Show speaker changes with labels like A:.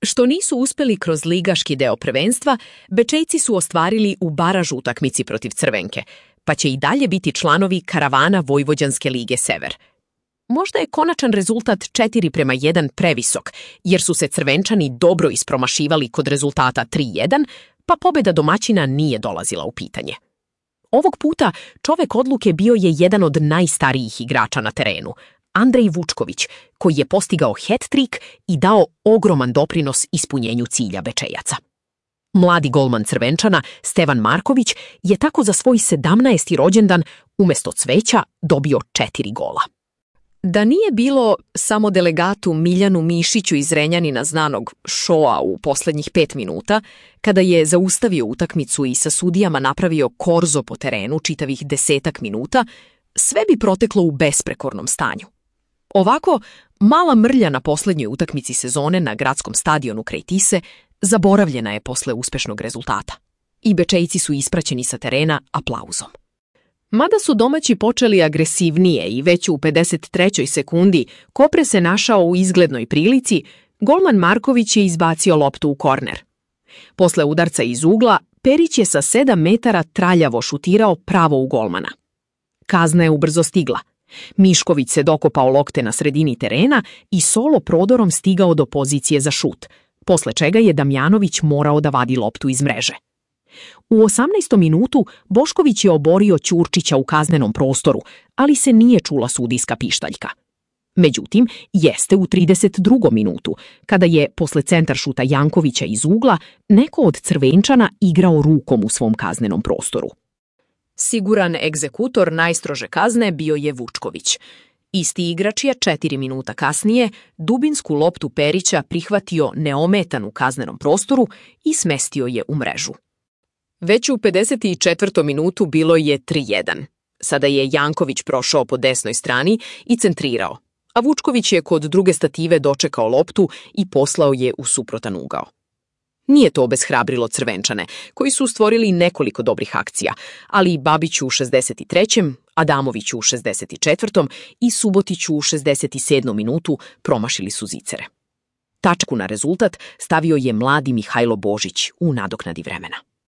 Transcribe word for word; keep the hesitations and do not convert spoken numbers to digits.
A: Što nisu uspeli kroz ligaški deo prvenstva, Bečejci su ostvarili u baraž utakmici protiv Crvenke, pa će i dalje biti članovi karavana Vojvođanske lige Sever. Možda je konačan rezultat četiri prema jedan previsok, jer su se Crvenčani dobro ispromašivali kod rezultata tri jedan, pa pobjeda domaćina nije dolazila u pitanje. Ovog puta čovek odluke bio je jedan od najstarijih igrača na terenu, Andrej Vučković, koji je postigao hat-trik i dao ogroman doprinos ispunjenju cilja Bečejaca. Mladi golman Crvenčana, Stevan Marković, je tako za svoj sedamnaesti rođendan umjesto cveća dobio četiri gola. Da nije bilo samo delegatu Miljanu Mišiću iz Renjanina znanog šoa u posljednjih pet minuta, kada je zaustavio utakmicu i sa sudijama napravio korzo po terenu čitavih desetak minuta, sve bi proteklo u besprekornom stanju. Ovako, mala mrlja na posljednjoj utakmici sezone na gradskom stadionu kraj Tise zaboravljena je posle uspešnog rezultata. I Bečejci su ispraćeni sa terena aplauzom. Mada su domaći počeli agresivnije i već u pedeset trećoj sekundi Kopre se našao u izglednoj prilici, golman Marković je izbacio loptu u korner. Posle udarca iz ugla, Perić je sa sedam metara traljavo šutirao pravo u golmana. Kazna je ubrzo stigla. Mišković se dokopao lokte na sredini terena i solo prodorom stigao do pozicije za šut, posle čega je Damjanović morao da vadi loptu iz mreže. U osamnaestom minutu Bošković je oborio Ćurčića u kaznenom prostoru, ali se nije čula sudijska pištaljka. Međutim, jeste u trideset drugom minutu, kada je, posle centar šuta Jankovića iz ugla, neko od Crvenčana igrao rukom u svom kaznenom prostoru. Siguran egzekutor najstrože kazne bio je Vučković. Isti igrač je četiri minuta kasnije dubinsku loptu Perića prihvatio neometan u kaznenom prostoru i smestio je u mrežu. Već u pedeset četvrtom minutu bilo je tri jedan. Sada je Janković prošao po desnoj strani i centrirao, a Vučković je kod druge stative dočekao loptu i poslao je u suprotan ugao. Nije to obeshrabrilo Crvenčane, koji su stvorili nekoliko dobrih akcija, ali Babiću u šezdeset trećem, Adamoviću u šezdeset četvrtom i Subotiću u šezdeset sedmom minutu promašili su zicere. Tačku na rezultat stavio je mladi Mihajlo Božić u nadoknadi vremena.